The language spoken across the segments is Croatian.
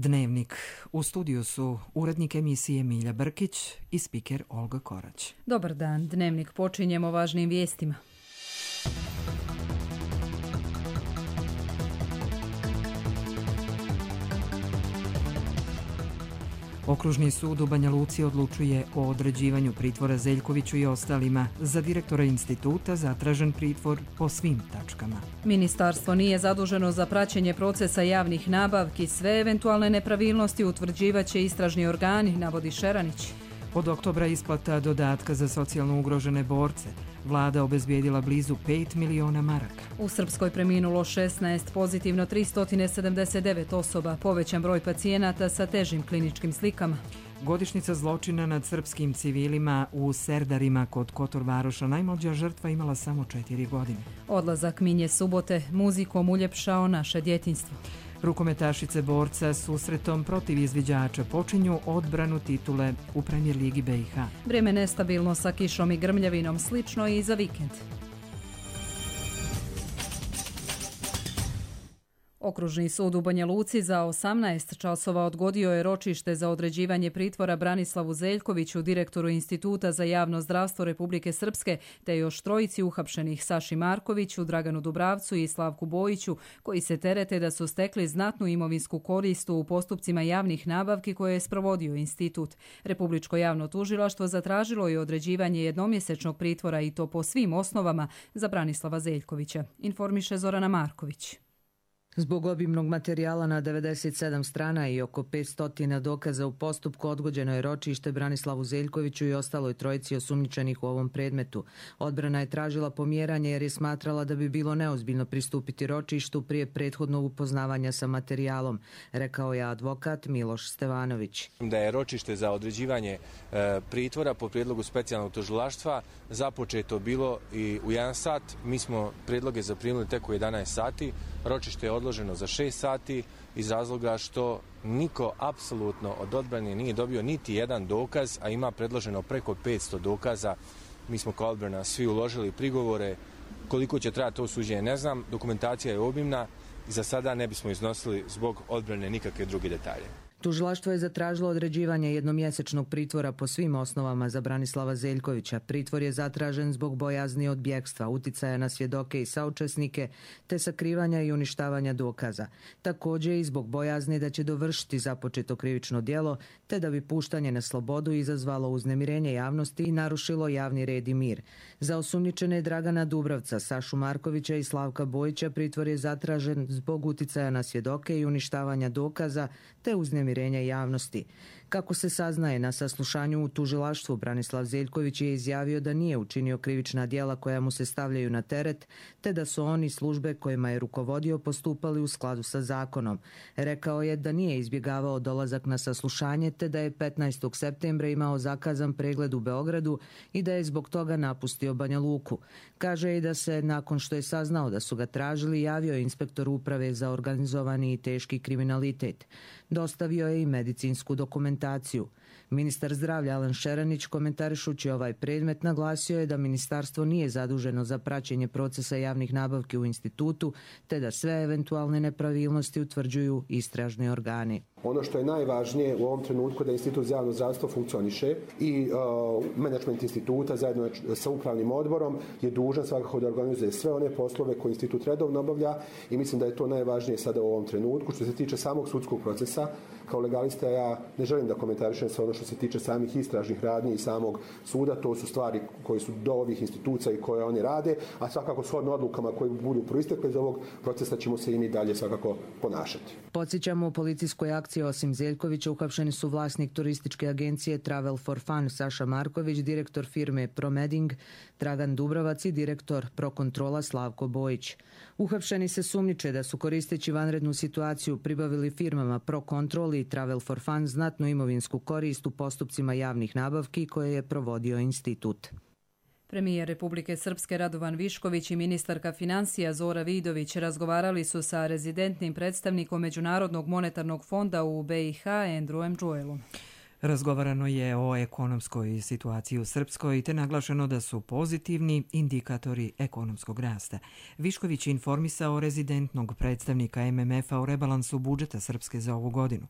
Dnevnik. U studiju su urednik emisije Milja Brkić i spiker Olga Korać. Dobar dan. Dnevnik počinjemo važnim vijestima. Okružni sud u Banja Luci odlučuje o određivanju pritvora Zeljkoviću i ostalima. Za direktora instituta zatražen pritvor po svim tačkama. Ministarstvo nije zaduženo za praćenje procesa javnih nabavki. Sve eventualne nepravilnosti utvrđivaće istražni organi, navodi Šeranić. Od oktobra isplata dodatka za socijalno ugrožene borce. Vlada obezbijedila blizu 5 miliona maraka. U Srpskoj preminulo 16, pozitivno 379 osoba, povećan broj pacijenata sa težim kliničkim slikama. Godišnjica zločina nad srpskim civilima u Serdarima kod Kotor Varoša. Najmlađa žrtva imala samo 4 godine. Odlazak Minje Subote muzikom uljepšao naše djetinjstvo. Rukometašice borca susretom protiv izviđača počinju odbranu titule u Premier ligi BiH. Vrijeme nestabilno sa kišom i grmljavinom, slično i za vikend. Okružni sud u Banja Luci za 18 časova odgodio je ročište za određivanje pritvora Branislavu Zeljkoviću, direktoru Instituta za javno zdravstvo Republike Srpske, te još trojici uhapšenih Saši Markoviću, Draganu Dubravcu i Slavku Bojiću, koji se terete da su stekli znatnu imovinsku korist u postupcima javnih nabavki koje je sprovodio institut. Republičko javno tužilaštvo zatražilo je određivanje jednomjesečnog pritvora i to po svim osnovama za Branislava Zeljkovića, informiše Zorana Marković. Zbog obimnog materijala na 97 strana i oko 500 dokaza u postupku odgođeno je ročište Branislavu Zeljkoviću i ostaloj trojici osumnjičenih u ovom predmetu. Odbrana je tražila pomjeranje jer je smatrala da bi bilo neozbiljno pristupiti ročištu prije prethodnog upoznavanja sa materijalom, rekao je advokat Miloš Stevanović. Da je ročište za određivanje pritvora po prijedlogu specijalnog tužilaštva započeto bilo i u 1 sat. Mi smo prijedloge zaprimili tek u 11 sati. Ročište je odloženo za 6 sati iz razloga što niko apsolutno od odbrane nije dobio niti jedan dokaz, a ima predloženo preko 500 dokaza. Mi smo kao odbrana svi uložili prigovore. Koliko će trajati to suđenje ne znam. Dokumentacija je obimna i za sada ne bismo iznosili zbog odbrane nikakve druge detalje. Tužilaštvo je zatražilo određivanje jednomjesečnog pritvora po svim osnovama za Branislava Zeljkovića. Pritvor je zatražen zbog bojazni od bjegstva, uticaja na svjedoke i saučesnike, te sakrivanja i uništavanja dokaza. Također i zbog bojazni da će dovršiti započeto krivično djelo, te da bi puštanje na slobodu izazvalo uznemirenje javnosti i narušilo javni red i mir. Za osumnjičene Dragana Dubravca, Sašu Markovića i Slavka Bojića pritvor je zatražen zbog uticaja na svjedoke i uništavanja dokaza, te uznemirenja javnosti. Kako se saznaje, na saslušanju u tužilaštvu Branislav Zeljković je izjavio da nije učinio krivična djela koja mu se stavljaju na teret, te da su oni službe kojima je rukovodio postupali u skladu sa zakonom. Rekao je da nije izbjegavao dolazak na saslušanje, te da je 15. septembra imao zakazan pregled u Beogradu i da je zbog toga napustio Banja Luku. Kaže i da se, nakon što je saznao da su ga tražili, javio inspektor uprave za organizovani i teški kriminalitet. Dostavio je i medicinsku dokumentaciju. Ministar zdravlja Alen Šeranić, komentarišući ovaj predmet, naglasio je da ministarstvo nije zaduženo za praćenje procesa javnih nabavki u institutu, te da sve eventualne nepravilnosti utvrđuju istražni organi. Ono što je najvažnije u ovom trenutku da Institut za javno zdravstvo funkcioniše i menadžment instituta zajedno sa upravnim odborom je dužan svakako da organizuje sve one poslove koje institut redovno obavlja i mislim da je to najvažnije sada u ovom trenutku. Što se tiče samog sudskog procesa, kao legalista ja ne želim da komentarišem sve ono što se tiče samih istražnih radnji i samog suda. To su stvari koje su do ovih institucija i koje oni rade, a svakako shodno odlukama koje budu proistekle iz ovog procesa ćemo se i mi dalje svakako ponašati. Podsjećamo, u policijskoj akciji osim Zeljkovića uhapšeni su vlasnik turističke agencije Travel for Fun Saša Marković, direktor firme Promeding Dragan Dubravac i direktor Prokontrola Slavko Bojić. Uhapšeni se sumnjiče da su koristeći vanrednu situaciju pribavili firmama Prokontrol i Travel for Fun znatnu imovinsku korist u postupcima javnih nabavki koje je provodio institut. Premijer Republike Srpske Radovan Višković i ministarka financija Zora Vidović razgovarali su sa rezidentnim predstavnikom Međunarodnog monetarnog fonda u BiH Andrewem Joelom. Razgovarano je o ekonomskoj situaciji u Srpskoj te naglašeno da su pozitivni indikatori ekonomskog rasta. Višković je informisao rezidentnog predstavnika MMF-a o rebalansu budžeta Srpske za ovu godinu.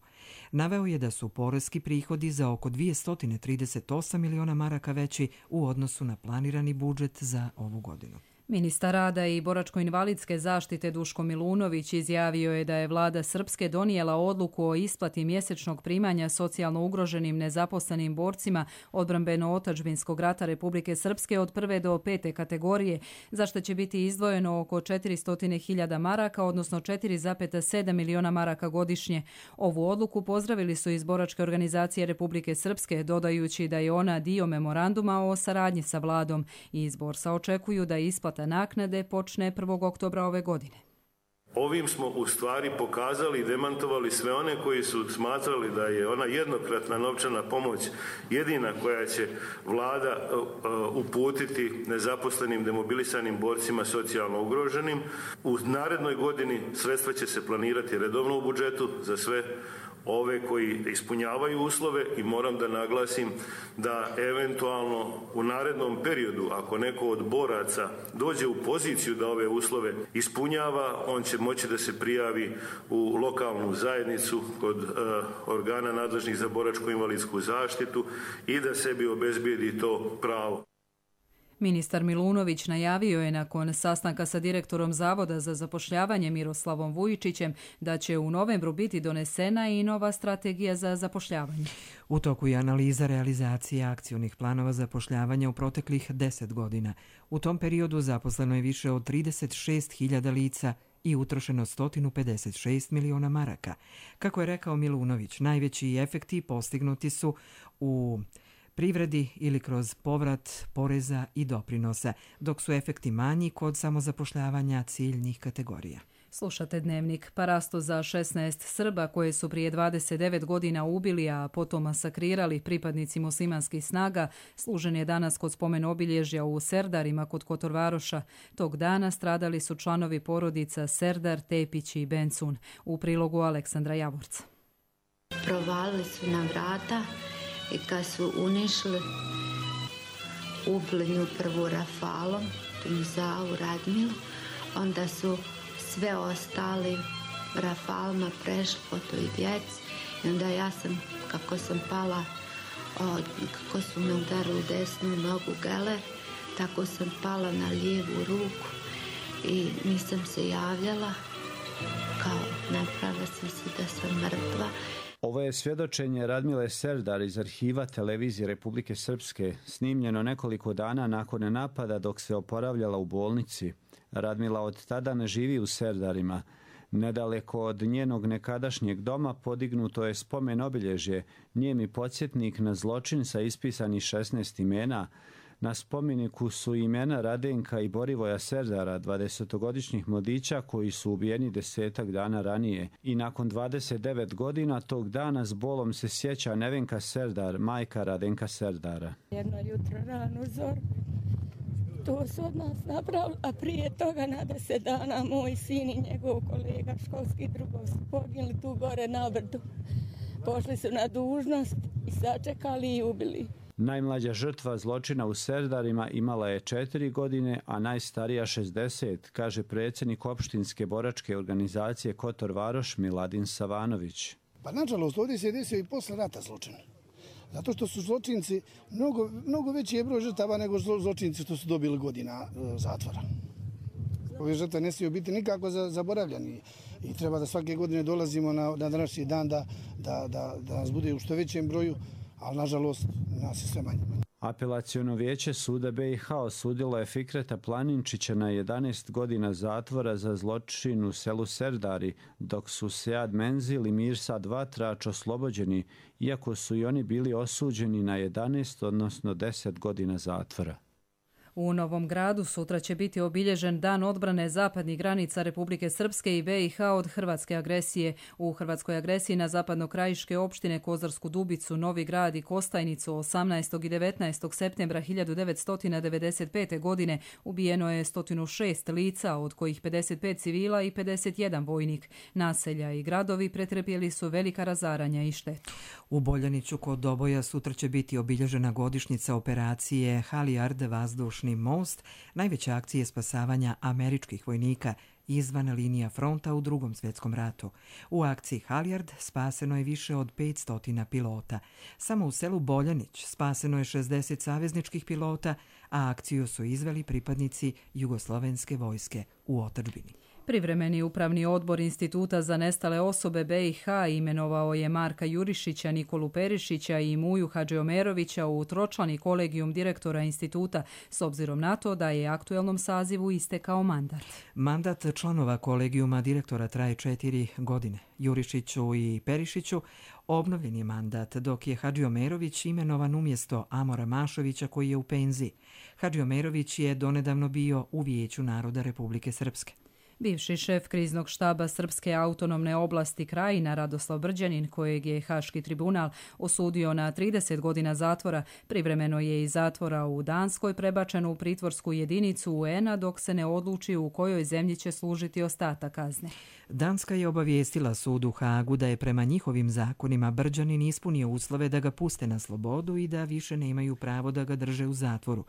Naveo je da su poreski prihodi za oko 238 miliona maraka veći u odnosu na planirani budžet za ovu godinu. Ministar rada i boračko-invalidske zaštite Duško Milunović izjavio je da je vlada Srpske donijela odluku o isplati mjesečnog primanja socijalno ugroženim nezaposlenim borcima odbrambeno-otadžbinskog rata Republike Srpske od 1. do 5. kategorije, za što će biti izdvojeno oko 400.000 maraka, odnosno 4,7 miliona maraka godišnje. Ovu odluku pozdravili su iz boračke organizacije Republike Srpske, dodajući da je ona dio memoranduma o saradnji sa vladom i iz borsa očekuju da isplata naknade počne 1. oktobra ove godine. Ovim smo u stvari pokazali i demantovali sve one koji su smatrali da je ona jednokratna novčana pomoć jedina koja će vlada uputiti nezaposlenim demobilisanim borcima socijalno ugroženim. U narednoj godini sredstva će se planirati redovno u budžetu za sve ove koji ispunjavaju uslove i moram da naglasim da eventualno u narednom periodu, ako neko od boraca dođe u poziciju da ove uslove ispunjava, on će moći da se prijavi u lokalnu zajednicu kod organa nadležnih za boračko-invalidsku zaštitu i da sebi obezbijedi to pravo. Ministar Milunović najavio je nakon sastanka sa direktorom Zavoda za zapošljavanje Miroslavom Vujičićem da će u novembru biti donesena i nova strategija za zapošljavanje. U toku je analiza realizacije akcionih planova zapošljavanja u proteklih 10 godina. U tom periodu zaposleno je više od 36.000 lica i utrošeno 156 miliona maraka. Kako je rekao Milunović, najveći efekti postignuti su u privredi ili kroz povrat poreza i doprinosa, dok su efekti manji kod samozapošljavanja ciljnih kategorija. Slušate Dnevnik. Parasto za 16 Srba koje su prije 29 godina ubili, a potom masakrirali pripadnici muslimanskih snaga, služen je danas kod spomen obilježja u Serdarima kod Kotorvaroša. Tog dana stradali su članovi porodica Serdar, Tepić i Bencun. U prilogu Aleksandra Javorca. Provalili su na vrata i kad su unišli, ubili nju prvu rafalom, Tunzavu, Radmilu, onda su sve ostali rafalima prešli po toj djeci i onda ja sam, kako sam pala, kako su me udarili desnu nogu geler, tako sam pala na lijevu ruku i nisam se javljala, kao napravila sam se da sam mrtva. Ovo je svjedočenje Radmile Serdar iz arhiva televizije Republike Srpske, snimljeno nekoliko dana nakon napada dok se oporavljala u bolnici. Radmila od tada ne živi u Serdarima. Nedaleko od njenog nekadašnjeg doma podignuto je spomen obilježje, nijemi podsjetnik na zločin sa ispisanih 16 imena. Na spomeniku su imena Radenka i Borivoja Serdara, 20-godišnjih mladića koji su ubijeni 10 dana ranije. I nakon 29 godina tog dana s bolom se sjeća Nevenka Serdar, majka Radenka Serdara. Jedno jutro rano zoru, to su od nas napravili, a prije toga na 10 dana moj sin i njegov kolega školski drugov su poginuli tu gore na brdu. Pošli su na dužnost i sačekali i ubili. Najmlađa žrtva zločina u Serdarima imala je 4 godine, a najstarija 60, kaže predsjednik opštinske boračke organizacije Kotor Varoš Miladin Savanović. Pa nažalost ovdje se desio i posle rata zločin. Zato što su zločinci mnogo veći je broj žrtava nego zločinci što su dobili godina zatvora. Ove žrtve ne smiju biti nikako zaboravljeni i treba da svake godine dolazimo na današnji dan da nas bude u što većem broju, ali nažalost nas je sve manje. Apelaciono vijeće suda BiH osudilo je Fikreta Planinčića na 11 godina zatvora za zločin u selu Serdari, dok su Sead Menzil i Mirsad Vatrač oslobođeni, iako su i oni bili osuđeni na 11, odnosno 10 godina zatvora. U Novom Gradu sutra će biti obilježen Dan odbrane zapadnih granica Republike Srpske i BiH od hrvatske agresije. U hrvatskoj agresiji na zapadnokrajiške opštine Kozarsku Dubicu, Novi Grad i Kostajnicu 18. i 19. septembra 1995. godine ubijeno je 106 lica, od kojih 55 civila i 51 vojnik. Naselja i gradovi pretrpjeli su velika razaranja i štetu. U Boljaniću kod Doboja sutra će biti obilježena godišnjica operacije Halijard vazdušni most, najveće akcije spasavanja američkih vojnika izvan linija fronta u Drugom svjetskom ratu. U akciji Halijard spaseno je više od 500 pilota. Samo u selu Boljanić spaseno je 60 savezničkih pilota, a akciju su izveli pripadnici Jugoslovenske vojske u otadžbini. Privremeni upravni odbor Instituta za nestale osobe BiH imenovao je Marka Jurišića, Nikolu Perišića i Muju Hadžiomerovića u tročlani kolegijum direktora instituta, s obzirom na to da je aktuelnom sazivu istekao mandat. Mandat članova kolegijuma direktora traje 4 godine. Jurišiću i Perišiću obnovljen je mandat, dok je Hadžiomerović imenovan umjesto Amora Mašovića koji je u penziji. Hadžiomerović je donedavno bio u Vijeću naroda Republike Srpske. Bivši šef kriznog štaba Srpske autonomne oblasti Krajina Radoslav Brđanin, kojeg je Haški tribunal osudio na 30 godina zatvora, privremeno je iz zatvora u Danskoj prebačen u pritvorsku jedinicu UN-a dok se ne odluči u kojoj zemlji će služiti ostatak kazne. Danska je obavijestila sud u Hagu da je prema njihovim zakonima Brđanin ispunio uslove da ga puste na slobodu i da više nemaju pravo da ga drže u zatvoru.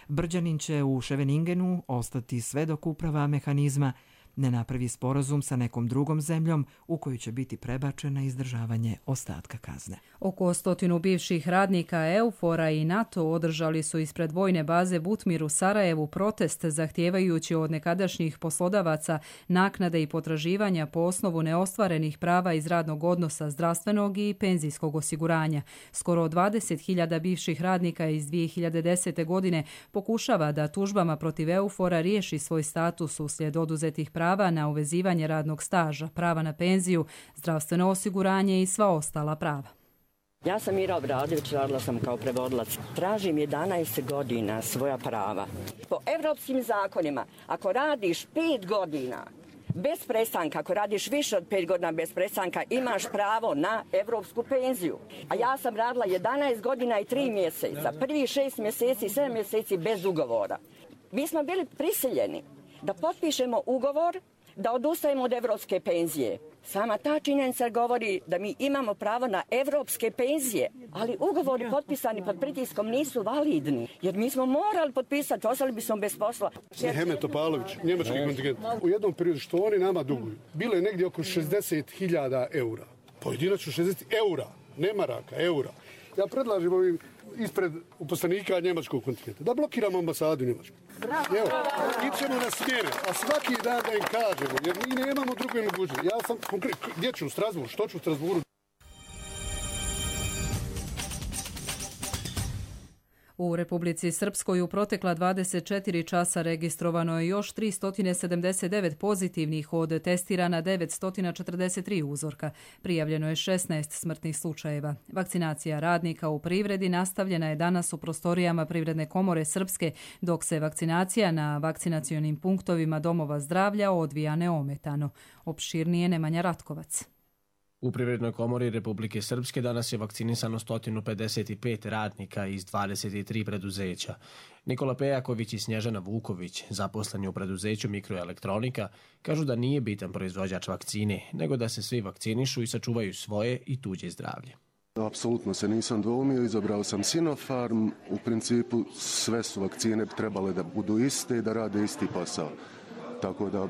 Brđanin će u Scheveningenu ostati sve dok uprava mehanizma ne napravi sporazum sa nekom drugom zemljom u koju će biti prebačen na izdržavanje ostatka kazne. Oko 100 bivših radnika EUFOR-a i NATO održali su ispred vojne baze Butmir u Sarajevu protest zahtijevajući od nekadašnjih poslodavaca naknade i potraživanja po osnovu neostvarenih prava iz radnog odnosa, zdravstvenog i penzijskog osiguranja. Skoro 20.000 bivših radnika iz 2010. godine pokušava da tužbama protiv EUFOR-a riješi svoj status uslijed oduzetih prava na uvezivanje radnog staža, prava na penziju, zdravstveno osiguranje i sva ostala prava. Ja sam Mira Obradović, radila sam kao prevodilac. Tražim 11 godina svoja prava. Po evropskim zakonima, ako radiš 5 godina bez prestanka, ako radiš više od 5 godina bez prestanka, imaš pravo na evropsku penziju. A ja sam radila 11 godina i 3 mjeseca, prvi 6 mjeseci, 7 mjeseci bez ugovora. Mi smo bili prisiljeni da potpišemo ugovor, da odustajemo od evropske penzije. Sama ta činjenica govori da mi imamo pravo na evropske penzije, ali ugovori potpisani pod pritiskom nisu validni, jer mi smo morali potpisati, ostali bismo bez posla. Hemet Topalović, njemački kontingent. U jednom periodu što oni nama duguju, bilo je negdje oko 60.000 eura. Pojedinačno 60 eura, ne maraka, eura. Ja predlažem ovim ispred uposlenika njemačkog kontingenta da blokiramo ambasadu u Njemačku. Evo, ićemo na smjene, a svaki dan da im kažemo, jer mi nemamo druge mogućnosti. Ja sam konkretno, gdje ću u Strasbourgu, što ću u Strasbourgu? U Republici Srpskoj u protekla 24 časa registrovano je još 379 pozitivnih od testirana 943 uzorka. Prijavljeno je 16 smrtnih slučajeva. Vakcinacija radnika u privredi nastavljena je danas u prostorijama Privredne komore Srpske, dok se vakcinacija na vakcinacionim punktovima domova zdravlja odvija neometano. Opširnije Nemanja Ratkovac. U Privrednoj komori Republike Srpske danas je vakcinisano 155 radnika iz 23 preduzeća. Nikola Pejaković i Snježana Vuković, zaposleni u preduzeću Mikroelektronika, kažu da nije bitan proizvođač vakcine, nego da se svi vakcinišu i sačuvaju svoje i tuđe zdravlje. Apsolutno se nisam dvoumio, izabrao sam Sinopharm. U principu sve su vakcine trebale da budu iste i da rade isti posao. Tako da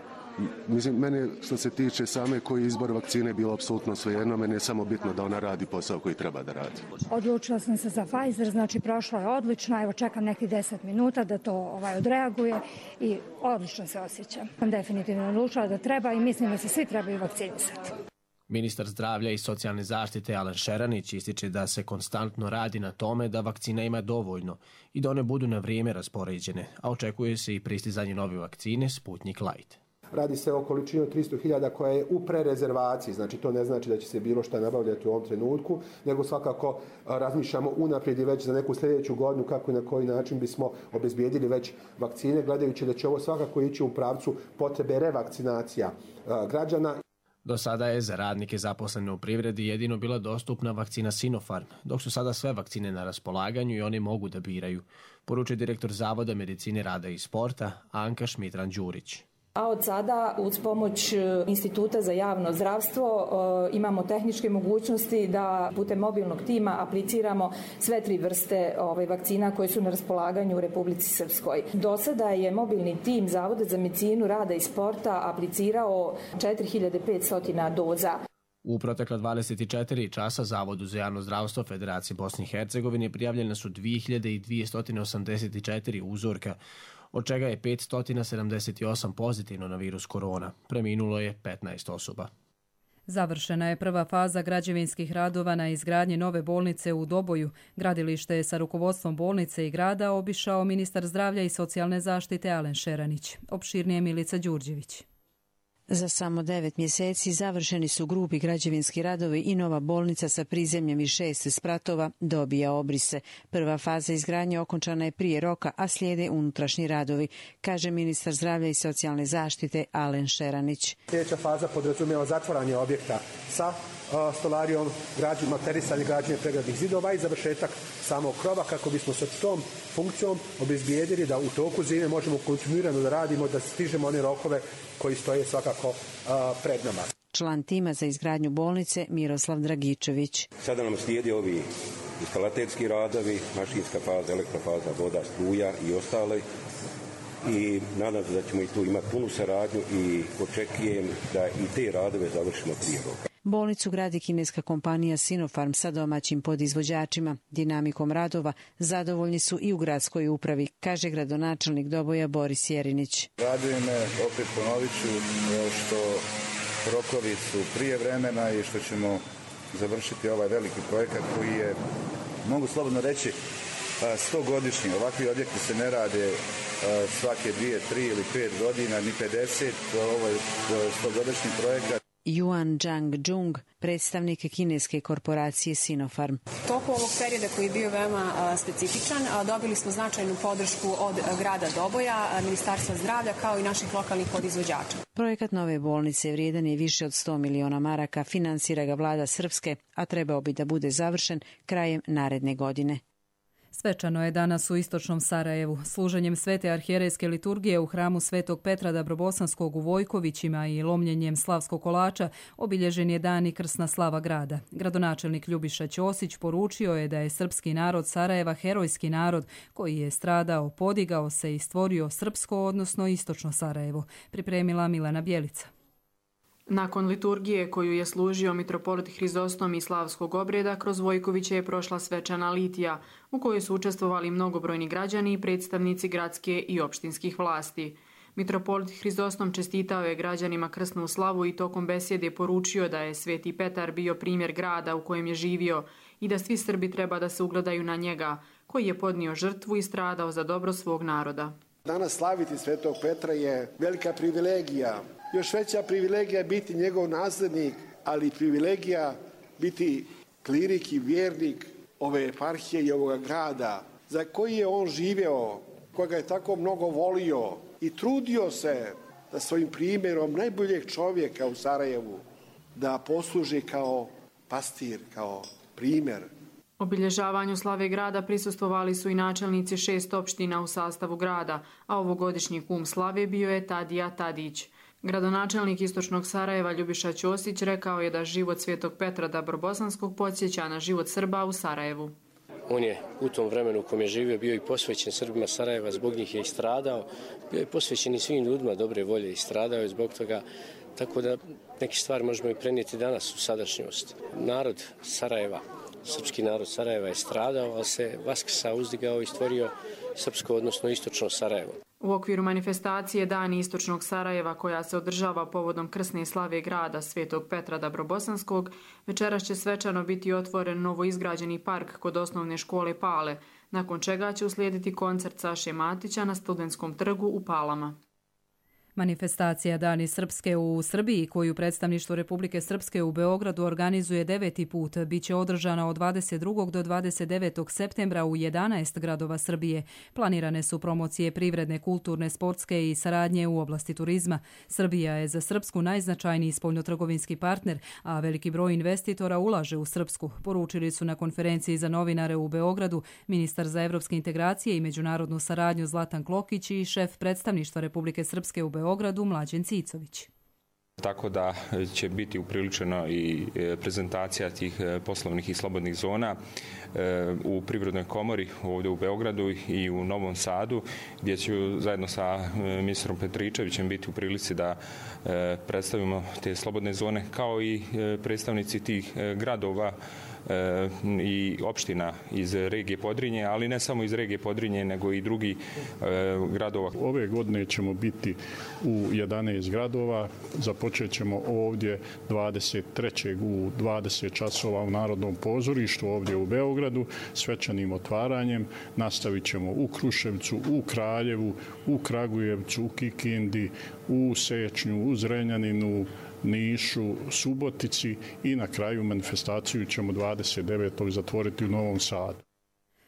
mislim, meni što se tiče same koji izbor vakcine je bilo apsolutno svejedno, meni je samo bitno da ona radi posao koji treba da radi. Odlučila sam se za Pfizer, znači prošlo je odlično, evo čekam nekih 10 minuta da to odreaguje i odlično se osjećam. Sam definitivno odlučila da treba i mislim da se svi trebaju vakcinisati. Ministar zdravlja i socijalne zaštite Alen Šeranić ističe da se konstantno radi na tome da vakcina ima dovoljno i da one budu na vrijeme raspoređene, a očekuje se i pristizanje nove vakcine Sputnik Light. Radi se o količini od 300.000 koja je u prerezervaciji, znači to ne znači da će se bilo šta nabavljati u ovom trenutku, nego svakako razmišljamo unaprijed i već za neku sljedeću godinu kako i na koji način bismo obezbijedili već vakcine, gledajući da će ovo svakako ići u pravcu potrebe revakcinacija građana. Do sada je za radnike zaposlene u privredi jedino bila dostupna vakcina Sinopharm, dok su sada sve vakcine na raspolaganju i oni mogu da biraju, poručuje direktor Zavoda medicine rada i sporta Anka Šmitran-Đurić. A od sada, uz pomoć Instituta za javno zdravstvo, imamo tehničke mogućnosti da putem mobilnog tima apliciramo sve 3 vrste vakcina koje su na raspolaganju u Republici Srpskoj. Do sada je mobilni tim Zavoda za medicinu rada i sporta aplicirao 4500 doza. U protekla 24 časa Zavodu za javno zdravstvo Federacije Bosne i Hercegovine prijavljene su 2284 uzorka, od čega je 578 pozitivno na virus korona. Preminulo je 15 osoba. Završena je prva faza građevinskih radova na izgradnji nove bolnice u Doboju. Gradilište je sa rukovodstvom bolnice i grada obišao ministar zdravlja i socijalne zaštite Alen Šeranić. Opširnije Milica Đurđević. Za samo 9 mjeseci završeni su grubi građevinski radovi i nova bolnica sa prizemljem i 6 spratova dobija obrise. Prva faza izgradnje okončana je prije roka, a slijede unutrašnji radovi, kaže ministar zdravlja i socijalne zaštite Alen Šeranić. Sljedeća faza podrazumijeva zatvaranje objekta sa stolarijom, materisanje građenje pregradnih zidova i završetak samog krova kako bismo sa tom funkcijom obezbijedili da u toku zime možemo kontinuirano da radimo, da stižemo one rokove koji stoje svakako pred nama. Član tima za izgradnju bolnice Miroslav Dragičević. Sada nam slijedi ovi instalaterski radovi, mašinska faza, elektrofaza, voda, struja i ostale. I nadam se da ćemo i tu imati punu saradnju i očekujem da i te radove završimo prije roka. Bolnicu gradi kineska kompanija Sinopharm sa domaćim podizvođačima. Dinamikom radova zadovoljni su i u gradskoj upravi, kaže gradonačelnik Doboja Boris Jerinić. Raduje me, opet ponovit ću, što rokovi su prije vremena i što ćemo završiti ovaj veliki projekat koji je, mogu slobodno reći, 100-godišnji. Ovakvi objekti se ne rade svake 2, 3 ili 5 godina, ni 50. Ovo je 100-godišnji projekat. Yuan Zhang-Jung, predstavnik kineske korporacije Sinopharm. Toku ovog perioda koji je bio veoma specifičan, dobili smo značajnu podršku od grada Doboja, Ministarstva zdravlja kao i naših lokalnih podizvođača. Projekat nove bolnice vrijedan je više od 100 miliona maraka, finansira ga vlada Srpske, a trebao bi da bude završen krajem naredne godine. Svečano je danas u istočnom Sarajevu. Služenjem svete arhijerejske liturgije u hramu Svetog Petra Dabrobosanskog u Vojkovićima i lomljenjem slavskog kolača obilježen je dan i krsna slava grada. Gradonačelnik Ljubiša Ćosić poručio je da je srpski narod Sarajeva herojski narod koji je stradao, podigao se i stvorio srpsko, odnosno istočno Sarajevo. Pripremila Milana Bjelica. Nakon liturgije koju je služio mitropolit Hrizostom i slavskog obreda, kroz Vojkoviće je prošla svečana litija, u kojoj su učestvovali mnogobrojni građani i predstavnici gradske i opštinskih vlasti. Mitropolit Hrizostom čestitao je građanima krsnu slavu i tokom besjede poručio da je Sveti Petar bio primjer grada u kojem je živio i da svi Srbi treba da se ugledaju na njega, koji je podnio žrtvu i stradao za dobro svog naroda. Danas slaviti Svetog Petra je velika privilegija. Još veća privilegija je biti njegov naslednik, ali privilegija biti klirik i vjernik ove eparhije i ovoga grada, za koji je on živeo, koga je tako mnogo volio i trudio se da svojim primjerom najboljeg čovjeka u Sarajevu da posluži kao pastir, kao primjer. Obilježavanju slave grada prisustvovali su i načelnici 6 opština u sastavu grada, a ovogodišnji kum slave bio je Tadija Tadić. Gradonačelnik istočnog Sarajeva Ljubiša Ćosić rekao je da život Svetog Petra Dabrobosanskog podsjeća na život Srba u Sarajevu. On je u tom vremenu u kojem je živio bio i posvećen Srbima Sarajeva, zbog njih je i stradao. Bio je posvećen i svim ljudima dobre volje i stradao je zbog toga. Tako da neke stvari možemo i prenijeti danas u sadašnjost. Narod Sarajeva, srpski narod Sarajeva je stradao, ali se vaskrsao, uzdigao i stvorio srpsko, odnosno istočno Sarajevo. U okviru manifestacije Dani istočnog Sarajeva, koja se održava povodom krsne slave grada Svetog Petra Dabrobosanskog, večeras će svečano biti otvoren novoizgrađeni park kod osnovne škole Pale, nakon čega će uslijediti koncert Saše Matića na Studentskom trgu u Palama. Manifestacija Dani Srpske u Srbiji, koju predstavništvo Republike Srpske u Beogradu organizuje 9. put, bit će održana od 22. do 29. septembra u 11 gradova Srbije. Planirane su promocije privredne, kulturne, sportske i saradnje u oblasti turizma. Srbija je za Srpsku najznačajniji spoljnotrgovinski partner, a veliki broj investitora ulaže u Srpsku, poručili su na konferenciji za novinare u Beogradu ministar za evropske integracije i međunarodnu saradnju Zlatan Klokić i šef predstavništva Republike Srpske u Beogradu Mlađen Cicović. Tako da će biti upriličena i prezentacija tih poslovnih i slobodnih zona u Privrednoj komori ovdje u Beogradu i u Novom Sadu, gdje ću zajedno sa ministrom Petričevićem biti u prilici da predstavimo te slobodne zone, kao i predstavnici tih gradova i opština iz regije Podrinje, ali ne samo iz regije Podrinje, nego i drugih gradova. Ove godine ćemo biti u 11 gradova. Započet ćemo ovdje 23. u 20 časova u Narodnom pozorištu ovdje u Beogradu svečanim otvaranjem. Nastavit ćemo u Kruševcu, u Kraljevu, u Kragujevcu, u Kikindi, u Sečnju, u Zrenjaninu, Nišu, Subotici i na kraju manifestaciju ćemo 29. zatvoriti u Novom Sadu.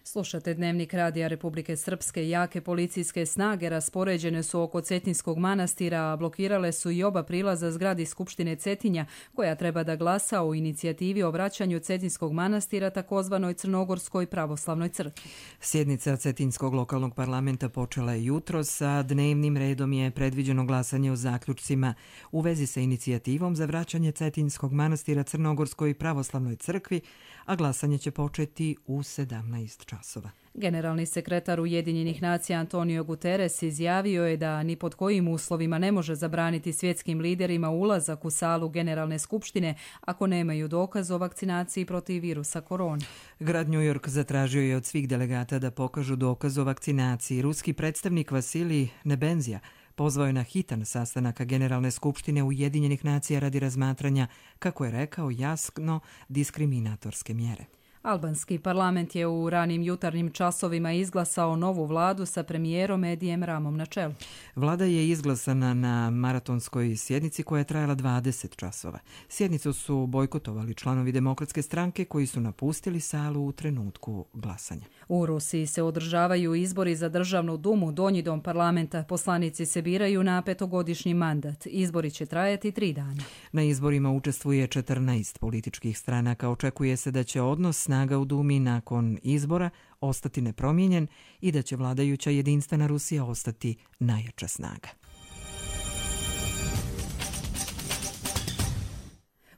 Slušate Dnevnik Radija Republike Srpske. Jake policijske snage raspoređene su oko Cetinskog manastira, a blokirale su i oba prilaza zgradi Skupštine Cetinja, koja treba da glasa o inicijativi o vraćanju Cetinskog manastira takozvanoj Crnogorskoj pravoslavnoj crkvi. Sjednica Cetinskog lokalnog parlamenta počela je jutros, sa dnevnim redom je predviđeno glasanje o zaključcima u vezi sa inicijativom za vraćanje Cetinskog manastira Crnogorskoj pravoslavnoj crkvi, a glasanje će početi u 17 časova. Generalni sekretar Ujedinjenih nacija Antonio Guterres izjavio je da ni pod kojim uslovima ne može zabraniti svjetskim liderima ulazak u salu Generalne skupštine ako nemaju dokaz o vakcinaciji protiv virusa korona. Grad New York zatražio je od svih delegata da pokažu dokaz o vakcinaciji. Ruski predstavnik Vasilij Nebenzija pozvao je na hitan sastanak Generalne skupštine Ujedinjenih nacija radi razmatranja, kako je rekao, jasno diskriminatorske mjere. Albanski parlament je u ranim jutarnjim časovima izglasao novu vladu sa premijerom Edijem Ramom na čelu. Vlada je izglasana na maratonskoj sjednici koja je trajala 20 časova. Sjednicu su bojkotovali članovi Demokratske stranke koji su napustili salu u trenutku glasanja. U Rusiji se održavaju izbori za državnu dumu, donji dom parlamenta. Poslanici se biraju na 5-godišnji mandat. Izbori će trajati 3 dana. Na izborima učestvuje 14 političkih stranaka. Očekuje se da će odnos snaga u Dumi nakon izbora ostati nepromijenjen i da će vladajuća jedinstvena Rusija ostati najjača snaga.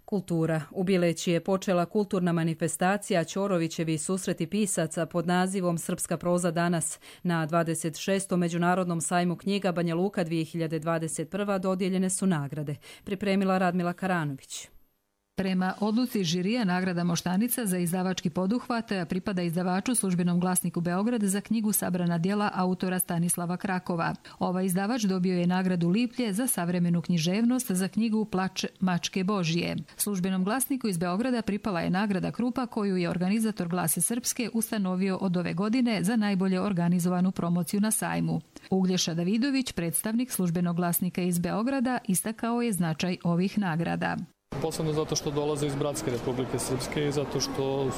Kultura. U Bileći je počela kulturna manifestacija Ćorovićevi susreti pisaca pod nazivom Srpska proza danas. Na 26. Međunarodnom sajmu knjiga Banja Luka 2021. dodijeljene su nagrade. Pripremila Radmila Karanović. Prema odluci žirija nagrada Moštanica za izdavački poduhvat pripada izdavaču Službenom glasniku Beograd za knjigu Sabrana djela autora Stanislava Krakova. Ovaj izdavač dobio je nagradu Liplje za savremenu književnost za knjigu Plač mačke Božije. Službenom glasniku iz Beograda pripala je nagrada Krupa koju je organizator Glase Srpske ustanovio od ove godine za najbolje organizovanu promociju na sajmu. Uglješa Davidović, predstavnik Službenog glasnika iz Beograda, istakao je značaj ovih nagrada. Posebno zato što dolaze iz Bratske Republike Srpske i zato što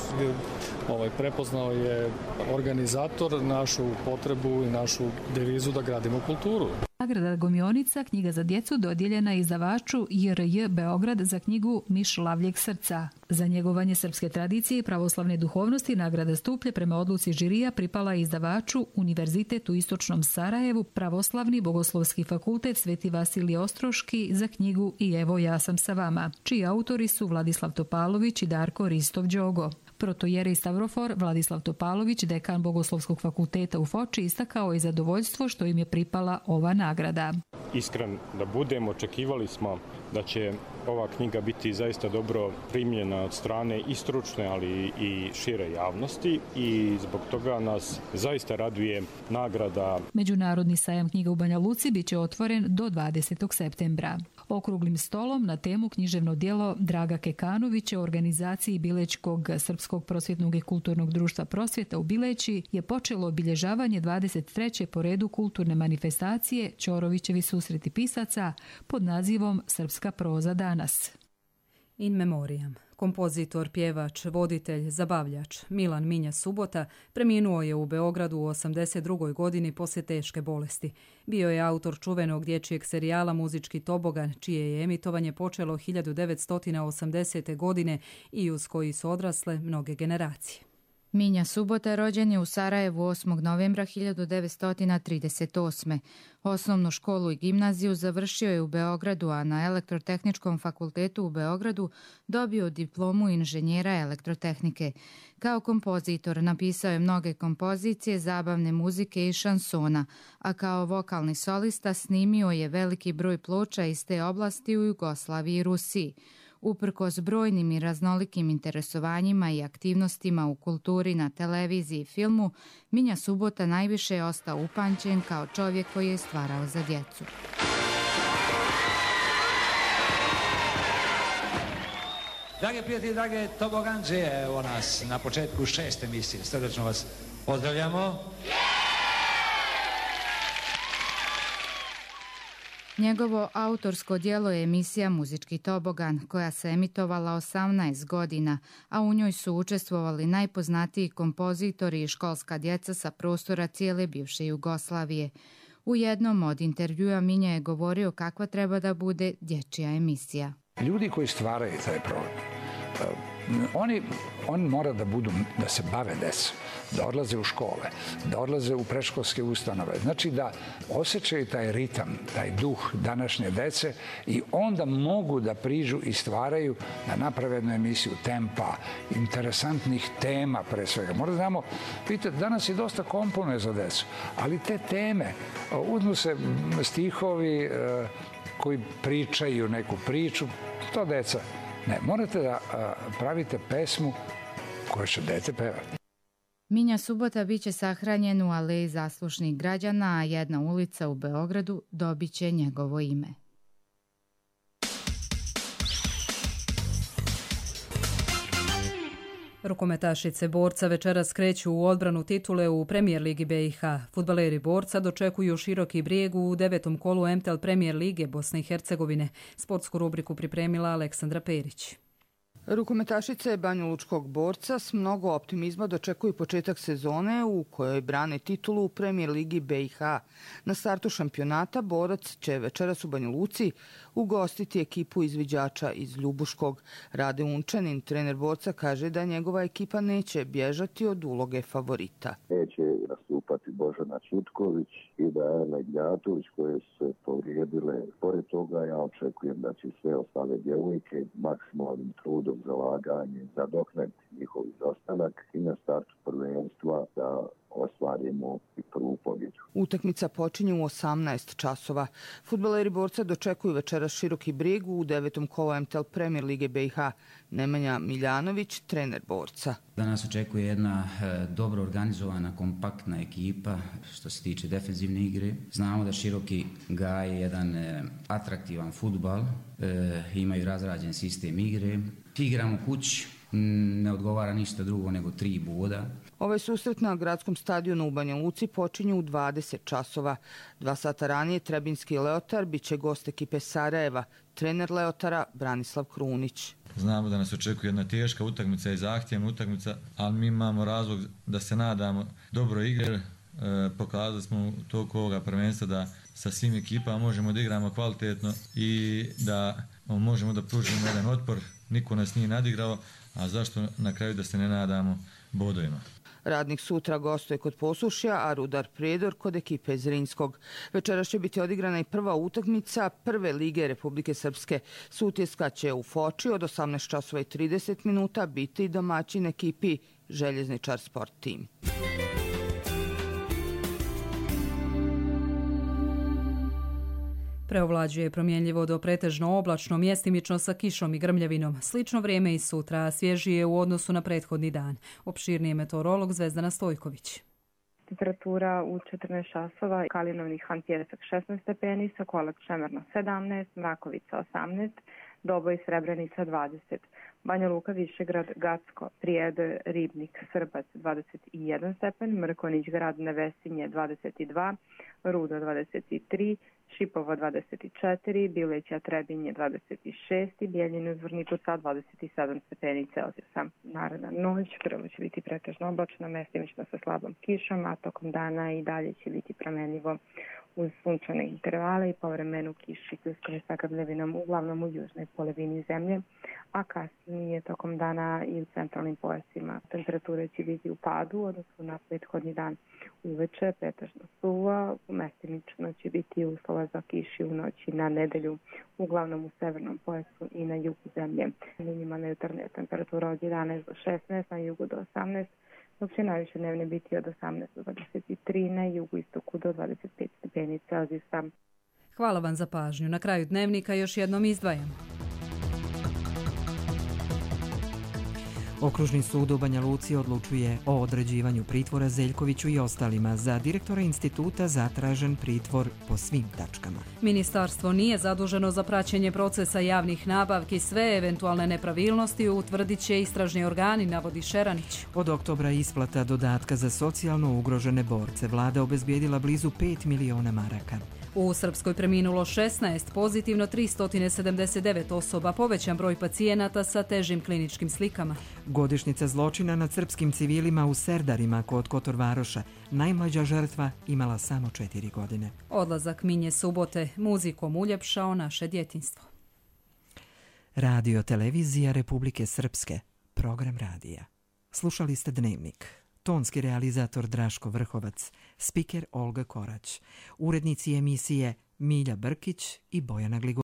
je prepoznao je organizator našu potrebu i našu devizu da gradimo kulturu. Nagrada Gomionica, knjiga za djecu, dodijeljena izdavaču JRJ Beograd za knjigu Miš lavljeg srca. Za njegovanje srpske tradicije i pravoslavne duhovnosti nagrada Stuplje prema odluci žirija pripala izdavaču Univerzitet u Istočnom Sarajevu, Pravoslavni bogoslovski fakultet Sveti Vasilije Ostroški za knjigu I evo ja sam sa vama, čiji autori su Vladislav Topalović i Darko Ristov-Đogo. Protojerej Stavrofor Vladislav Topalović, dekan Bogoslovskog fakulteta u Foči, istakao je zadovoljstvo što im je pripala ova nagrada. Iskren da budemo, očekivali smo da će ova knjiga biti zaista dobro primljena od strane i stručne, ali i šire javnosti i zbog toga nas zaista raduje nagrada. Međunarodni sajam knjiga u Banja Luci biće otvoren do 20. septembra. okruglim stolom na temu književno djelo Draga Kekanovića u organizaciji Bilećkog Srpskog prosvjetnog i kulturnog društva Prosvjeta u Bileći je počelo obilježavanje 23. po redu kulturne manifestacije Ćorovićevi susreti pisaca pod nazivom Srpska proza danas. In memoriam. Kompozitor, pjevač, voditelj, zabavljač Milan Minja Subota preminuo je u Beogradu u 82. godini poslije teške bolesti. Bio je autor čuvenog dječjeg serijala Muzički tobogan, čije je emitovanje počelo 1980. godine i uz koji su odrasle mnoge generacije. Minja Subota rođen je u Sarajevu 8. novembra 1938. Osnovnu školu i gimnaziju završio je u Beogradu, a na Elektrotehničkom fakultetu u Beogradu dobio diplomu inženjera elektrotehnike. Kao kompozitor napisao je mnoge kompozicije, zabavne muzike i šansona, a kao vokalni solista snimio je veliki broj ploča iz te oblasti u Jugoslaviji i Rusiji. Uprkos brojnim i raznolikim interesovanjima i aktivnostima u kulturi, na televiziji i filmu, Minja Subota najviše je ostao upamćen kao čovjek koji je stvarao za djecu. Drage prijatelji, drage toboganđe, evo nas na početku 6. emisije. Srdačno vas pozdravljamo. Njegovo autorsko djelo je emisija Muzički tobogan, koja se emitovala 18 godina, a u njoj su učestvovali najpoznatiji kompozitori i školska djeca sa prostora cijele bivše Jugoslavije. U jednom od intervjua Minja je govorio kakva treba da bude dječja emisija. Ljudi koji stvaraju taj program, oni mora da se bave decom, da odlaze u škole, da odlaze u predškolske ustanove. Znači da osjećaju taj ritam, taj duh današnje dece i onda mogu da priđu i stvaraju, da naprave jednu emisiju tempa, interesantnih tema pre svega. Moramo znamo, vidite, danas je dosta komponuje za decu, ali te teme, uzmu se stihovi koji pričaju neku priču, to deca. Ne, morate da pravite pesmu koju će dete pevati. Minja Subota bit će sahranjen u aleji zaslušnih građana, a jedna ulica u Beogradu dobit će njegovo ime. Rukometašice Borca večeras kreću u odbranu titule u Premijer Ligi BiH. Fudbaleri Borca dočekuju Široki Brijeg u 9. kolu MTL Premijer Lige Bosne i Hercegovine. Sportsku rubriku pripremila Aleksandra Perić. Rukometašice Banjalučkog Borca s mnogo optimizma dočekuju početak sezone u kojoj brane titulu u Premijer Ligi BiH. Na startu šampionata Borac će večeras u Banja Luci ugostiti ekipu izviđača iz Ljubuškog. Rade Unčanin, trener Borca, kaže da njegova ekipa neće bježati od uloge favorita. Neće nastupati Božana Čutković i Dajana Ignjatović koje su se povrijedile. Pored toga ja očekujem da će sve ostale djevojke maksimalnim trudom, zalaganje, zadoknati njihov izostanak i na startu prvenstva da ostvarimo i prvu pobjedu. Utakmica počinje u 18 časova. Fudbaleri Borca dočekuju večeras Široki Brijeg u 9. kolu MTL Premijer Lige BiH. Nemanja Miljanović, trener Borca. Danas očekuje jedna dobro organizovana, kompaktna ekipa što se tiče defenzivne igre. Znamo da Široki gaje jedan atraktivan fudbal, imaju razrađen sistem igre. Igramo kući, ne odgovara ništa drugo nego 3 boda. Ovaj susret na gradskom stadionu u Banja Luci počinje u 20 časova. 2 sata ranije Trebinski Leotar bit će gost ekipe Sarajeva, trener Leotara Branislav Krunić. Znamo da nas očekuje jedna teška utakmica i zahtjevna utakmica, ali mi imamo razlog da se nadamo dobro igre. Pokazali smo toliko ovoga prvenstva da sa svim ekipama možemo da igramo kvalitetno i da možemo da pružimo jedan otpor. Niko nas nije nadigrao, a zašto na kraju da se ne nadamo bodovima. Radnik sutra gostuje kod Posušja, a Rudar Prijedor kod ekipe Zrinskog. Večeras će biti odigrana i prva utakmica Prve lige Republike Srpske. Sutjeska će u Foči od 18:30 biti domaćin ekipi Željezničar Sport Team. Preovlađuje promjenljivo do pretežno oblačno, mjestimično sa kišom i grmljavinom. Slično vrijeme i sutra, a svježije u odnosu na prethodni dan. Opširniji meteorolog Zvezdana Stojković. Temperatura u 14 časova, Kalinovni Han Pjesak 16 stepeni, Sokolak Šemerno 17, Mrakovica 18, Doboj Srebrenica 20, Banja Luka, Višegrad, Gacko, Prijedor, Ribnik, Srbac 21 stepen, Mrkonjić Grad, Nevesinje 22, Rudo 23, Šipovo 24, Bileća Trebinje 26 i Bijeljina uz Vrniku sa 27 stepeni Celzijusa. Naredna noć prvo će biti pretežno oblačno, mestimično sa slabom kišom, a tokom dana i dalje će biti promenljivo uz sunčane intervale i povremenu kiši pljuskom sa grmljavinom uglavnom u južnoj polovini zemlje, a kasnije tokom dana i u centralnim pojasima. Temperature će biti u padu, odnosno na prethodni dan uveče, pretežno suvo, mestimično će biti uslova za kiši u noći na nedelju, uglavnom u severnom pojasu i na jugu zemlje. Minimalna jutarnja temperatura od 11 do 16, na jugu do 18, dok će najviše dnevne biti od 18 do 23, na jugu istoku do 25 stepeni Celzijusa. Hvala vam za pažnju. Na kraju dnevnika još jednom izdvajam. Okružni sud u Banja Luci odlučuje o određivanju pritvora Zeljkoviću i ostalima. Za direktora instituta zatražen pritvor po svim tačkama. Ministarstvo nije zaduženo za praćenje procesa javnih nabavki. Sve eventualne nepravilnosti utvrdit će istražni organi, navodi Šeranić. Od oktobra isplata dodatka za socijalno ugrožene borce. Vlada obezbijedila blizu 5 miliona maraka. U Srpskoj preminulo 16, pozitivno 379 osoba, povećan broj pacijenata sa težim kliničkim slikama. Godišnjica zločina nad srpskim civilima u Serdarima kod Kotorvaroša. Najmlađa žrtva imala samo 4 godine. Odlazak Minje Subote muzikom uljepšao naše djetinjstvo. Radio televizija Republike Srpske, program radija. Slušali ste Dnevnik. Tonski realizator Draško Vrhovac, spiker Olga Korać, urednici emisije Milja Brkić i Bojana Gligo.